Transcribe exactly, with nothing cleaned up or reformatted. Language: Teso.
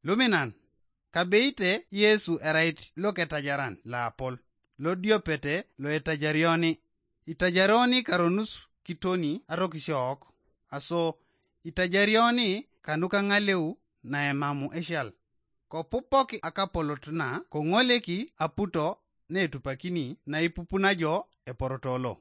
Luminan, kabeite Yesu erait loketajaran loapol, lodiopete loetajarioni. Itajarioni karonus kitoni arokisiok, aso itajarioni kanuka ŋaleu naemamu eshal. Kopupok akapolot na koŋoleki aputo netupakini naipupuna jo eporoto lo.